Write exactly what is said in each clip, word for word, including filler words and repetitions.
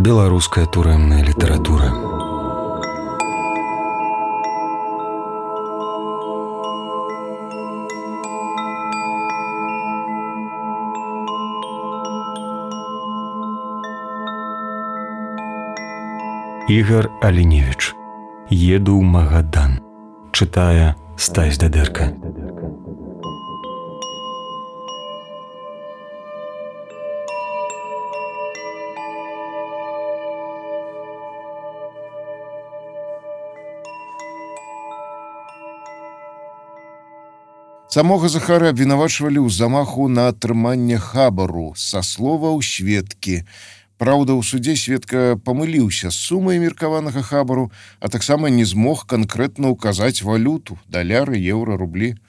Беларуская турэмная літаратура. Ігар Аліневіч. Еду ў Магадан. Чытае Стась Дадэрка. Самога Захара абвінавачвалі ў замаху на атрыманне хабару са словаў сведкі. Праўда, у судзе сведка памыліўся з сумай меркаванага хабару, а таксама не змог канкрэтна ўказаць валюту, даляры, еўра, рублі.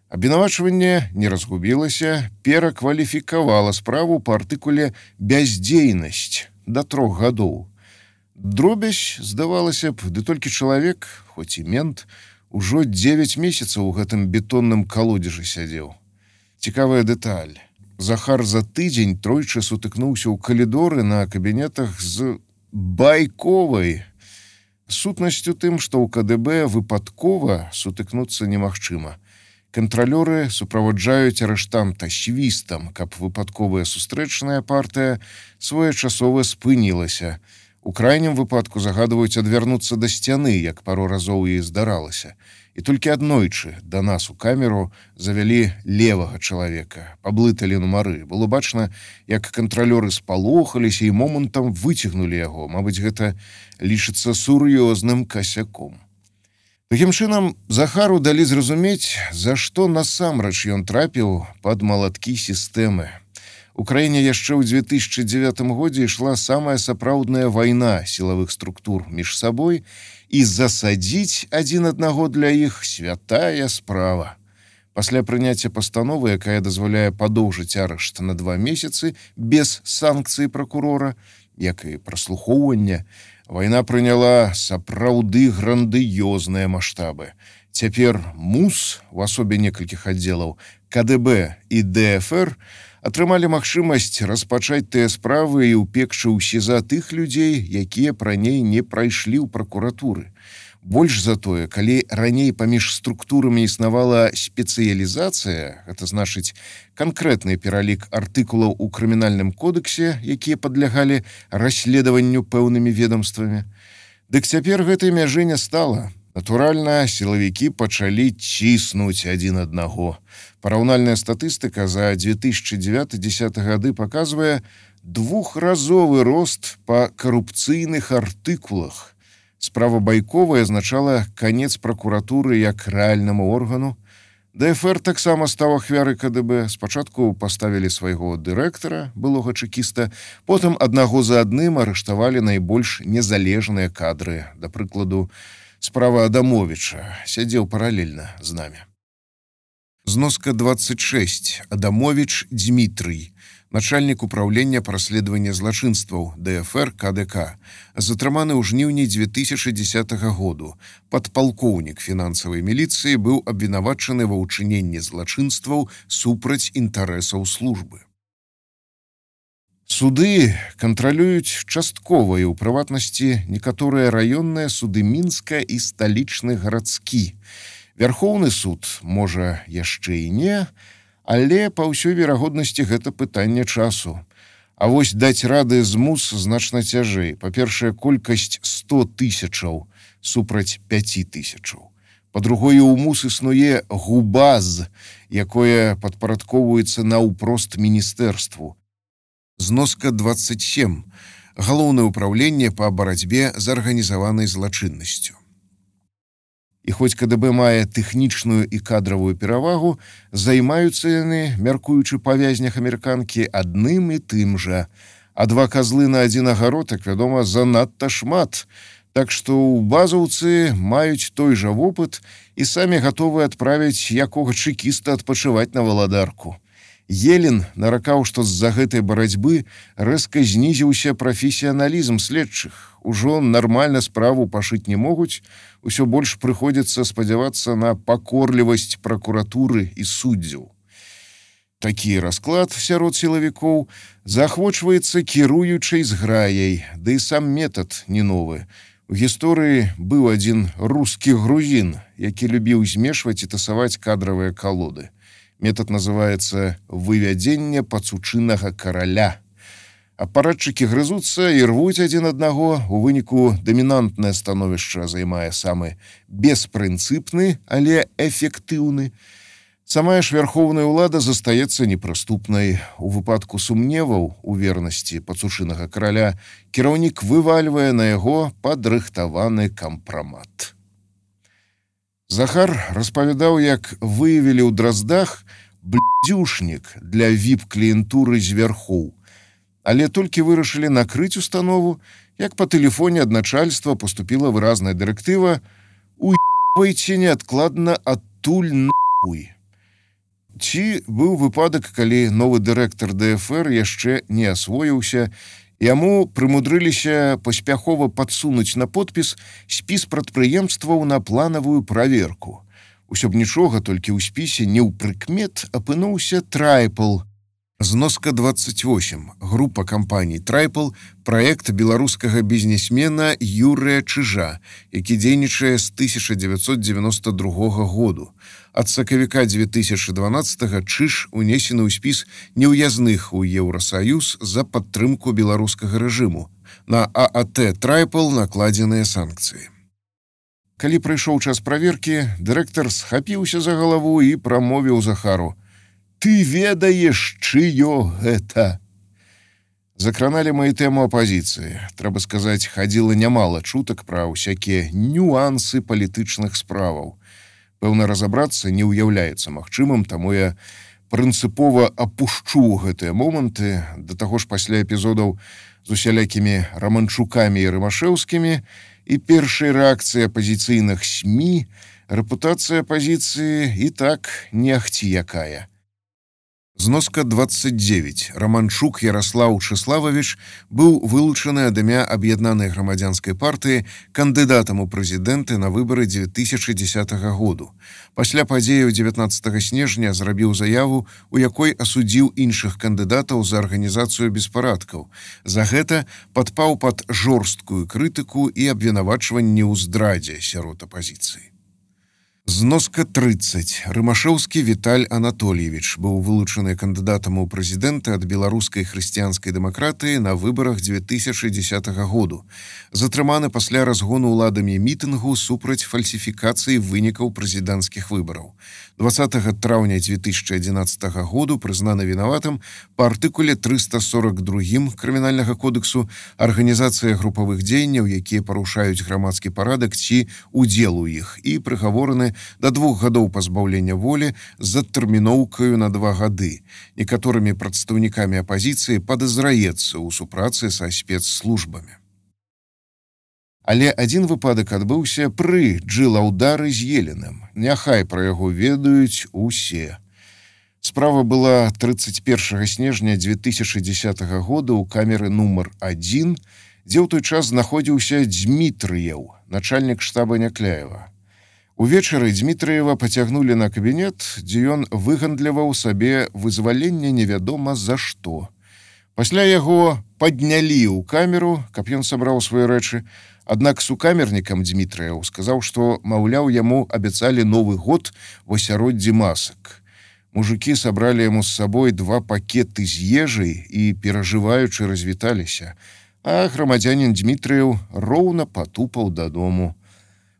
Абвінавачванне не разгубілася, перакваліфікавала справу па артыкуле «бяздзейнасць» да трох гадоў. Дробязь, здавалася б, ды толькі чалавек, хоць і мент, ужо дзевяць месяцаў у гэтым бетонным калодзежы сядзеў. Цікавая дэталь. Захар за тыдзень тройчы сутыкнуўся ў калідоры на кабінетах з Байковай. Сутнасць у тым, што ў ка дэ бэ выпадкова сутыкнуцца немагчыма. Кантралёры суправаджаюць арыштанта свістам, каб выпадковая сустрэчная партыя своечасова спынілася. У крайнім выпадку загадваюць адвярнуцца да сцяны, як пару разоў і здаралася. І толькі аднойчы да нас у камеру завялі левага чалавека, паблыталі нумары. Было бачна, як кантралёры спалохаліся і момантам выцягнулі яго. Мабыць, гэта лічыцца сур'ёзным касяком. Такім чынам, Захару далі зразумець, за што насамрэч ён трапіў пад малаткі сістэмы. У краіне яшчэ ў дзве тысячы дзевятым годзе ішла самая сапраўдная вайна сілавых структур між сабой, і засадзіць адзін аднаго для іх святая справа. Пасля прыняцця пастановы, якая дазваляе падоўжыць арышт на два месяцы без санкцыі пракурора, як і праслухоўвання, вайна прыняла сапраўды грандыёзныя маштабы. Цяпер МУС, у асобе некалькіх аддзелаў, ка дэ бэ і дэ эф эр, атрымалі магчымасць распачаць тыя справы і ўпекчы ў СІЗА тых людзей, якія раней не прайшлі ў пракуратуры. Больш за тое, калі раней паміж структурамі існавала спецыялізацыя, гэта значыць канкрэтны пералік артыкулаў у крымінальным кодексе, якія падлягалі расследаванню пэўнымі ведомствамі, дык цяпер гэтай мяжы не стала. Натуральна, сілавікі пачалі ціснуць адзін аднаго. Параўнальная статыстыка за дзве тысячы дзевяты — дзесяты гады паказвае двухразовы рост па карупцыйных артыкулах. Справа Байковай азначала канец пракуратуры як рэальнаму органу. дэ эф эр таксама стаў ахвярай ка дэ бэ. Спачатку паставілі свайго дырэктара, былога чэкіста, потым аднаго за адным арыштавалі найбольш незалежныя кадры. Да прыкладу, справа Адамовіча сядзеў паралельна з намі. Зноска двадцать шесть. Адамовіч Дмітрый, начальнік управлення па расследаванні злачынстваў дэ эф эр ка дэ ка, затрыманы ў жніўні дзве тысячы дзесятага году. Падпалкоўнік фінансавай міліцыі быў абвінавачаны ва ўчыненні злачынстваў супраць інтарэсаў службы. Суды кантралююць часткова і ў прыватнасці некаторыя раённыя суды Мінска і сталічны гарадскі. Вярхоўны суд, можа, яшчэ і не, але па ўсёй верагоднасці гэта пытанне часу. А вось даць рады з МУС значна цяжэй. Па-першае, колькасць сто тысячаў супраць пяці тысячаў. Па-другое, у МУС існуе ГУБАЗ, якое падпарадкоўваецца наўпрост міністэрству. Зноска двадцать семь. Галоўнае ўпраўленне па барацьбе з арганізаванай злачыннасцю. І хоць ка дэ бэ мае тэхнічную і кадравую перавагу, займаюцца яны, мяркуючы па вязнях амерыканкі, адным і тым жа. А два казлы на адзін агарод, як вядома, занадта шмат. Так што ў базаўцы маюць той жа вопыт і самі гатовы адправіць якога чэкіста адпачываць на валадарку. Елін наракаў, што з-за гэтай барацьбы рэзка знізіўся прафесіяналізм следчых. Ужо нармальна справу пашыць не могуць, усё больш прыходзіцца спадзявацца на пакорлівасць пракуратуры і суддзяў. Такі расклад сярод сілавікоў заахвочваецца кіруючай зграяй, ды і сам метад не новы. У гісторыі быў адзін рускі грузін, які любіў змешваць і тасаваць кадравыя калоды. Метад называецца «вывядзенне пацучынага караля». Апаратчыкі грызуцца і рвуць адзін аднаго, у выніку дамінантнае становішча займае самы беспрынцыпны, але эфектыўны. Самая ж вярхоўная ўлада застаецца непрыступнай. У выпадку сумневаў у вернасці пацучынага караля кіраўнік вывальвае на яго падрыхтаваны кампрамат. Захар распавядаў, як выявілі ў Драздах блядзюшнік для віп-кліентуры з вярхоў. Але толькі вырашылі накрыць установу, як па тэлефоне ад начальства поступіла выразная дырэктыва «Уебайце неадкладна адтуль нахуй». Ці быў выпадак, калі новы дырэктар дэ эф эр яшчэ не асвоіўся, яму прымудрыліся паспяхова падсунуць на подпіс спіс прадпрыемстваў на планавую праверку. Усё б нічога, толькі ў спісе не ў прыкмет апынуўся Трайпл. Зноска двадцать восемь. Група кампаній Трайпл – праект беларускага бізнесмена Юрыя Чыжа, які дзейнічае з тысяча дзевяцьсот дзевяноста другога году. Ад сакавіка дзве тысячы дванаццатага Чыж унесены ў спіс неўязных у Еўрасаюз за падтрымку беларускага рэжыму. На а а тэ Трайпл накладзеныя санкцыі. Калі прыйшоў час праверкі, дырэктар схапіўся за галаву і прамовіў Захару: «Ты ведаеш, чыё гэта?» Закраналі мы і тэму апазіцыі. Трэба сказаць, хадзіла нямала чутак пра ўсякія нюансы палітычных справаў. Пэўна, разабрацца не ўяўляецца магчымым, таму я прынцыпова апушчу гэтыя моманты, да таго ж пасля эпізодаў з усялякімі Раманчукамі і Рымашэўскімі і першай рэакцыі апазіцыйных СМІ, рэпутацыя апазіцыі і так не ахці якая. Зноска двадцать девять. Раманчук Ярослаў Чыслававіч быў вылучаны ад імя Аб'яднанай грамадзянскай партыі кандыдатам у прэзідэнты на выбары дзве тысячы дзесятага году. Пасля падзеяў дзевятнаццатага снежня зрабіў заяву, у якой асудзіў іншых кандыдатаў за арганізацыю беспарадкаў. За гэта падпаў пад жорсткую крытыку і абвінавачванні ў здрадзе сярод апазіцыі. Зноска тридцать. Рымашэўскі Віталь Анатольевич быў вылучаны кандыдатам у прэзідэнты ад беларускай хрысціянскай дэмакратыі на выбарах дзве тысячы дзесятага году. Затрыманы пасля разгону ўладамі мітынгу супраць фальсіфікацыі вынікаў прэзідэнцкіх выбараў. двадцатага траўня дзве тысячы адзінаццатага году прызнаны вінаватым па артыкуле трыста сорок два крымінальнага кодексу арганізацыя групавых дзеянняў, якія парушаюць грамадскі парадак ці удзел у іх, і прыгавораны да двух гадоў пазбаўлення волі з адтэрміноўкаю на два гады. Некаторымі прадстаўнікамі апазіцыі падазраецца ў супрацы са спецслужбамі. Але адзін выпадак адбыўся пры Джылаўдары з Еленым. Няхай пра яго ведаюць усе. Справа была тридцать первого снежня дзве тысячы дзесятага года ў камеры нумар адзін, дзе ў той час знаходзіўся Дзмітрыеў, начальнік штаба Някляева. Увечары Дзмітрыева пацягнулі на кабінет, дзе ён выгандляваў сабе вызваленне невядома за што. Пасля яго паднялі ў камеру, каб ён сабраў свае рэчы, аднак сукамернікам Дзмітрыеў сказаў, што, маўляў, яму абяцалі Новы год в асяроддзі масак. Мужыкі сабралі яму з сабой два пакеты з ежай і, перажываючы, развіталіся, а грамадзянін Дзмітрыеў роўна патупаў дадому.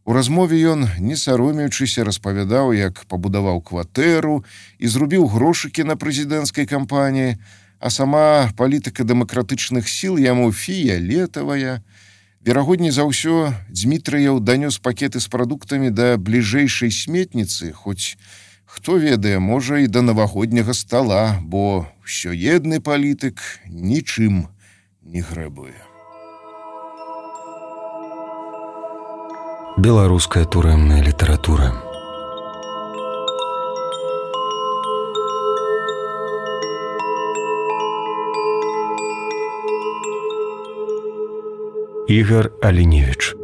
У размове ён, не саромеючыся, распавядаў, як пабудаваў кватэру і зрубіў грошыкі на прэзідэнцкай кампаніі, а сама палітыка дэмакратычных сіл яму фіялетавая. Верагодней за ўсё, Дзмітрыеў данёс пакеты з прадуктамі да бліжэйшай сметніцы, хоць, хто ведае, можа, і да навагодняга стала, бо ўсёедны палітык нічым не грэбуе. Беларуская турэмная літаратура. Ігар Аліневіч.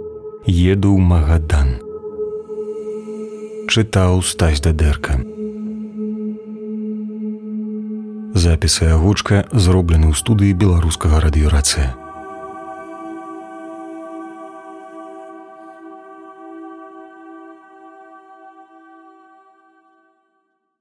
Еду ў Магадан. Чытаў Стась Дадэрка. Запісы агучка зроблены ў студыі беларускага радыёрацыя.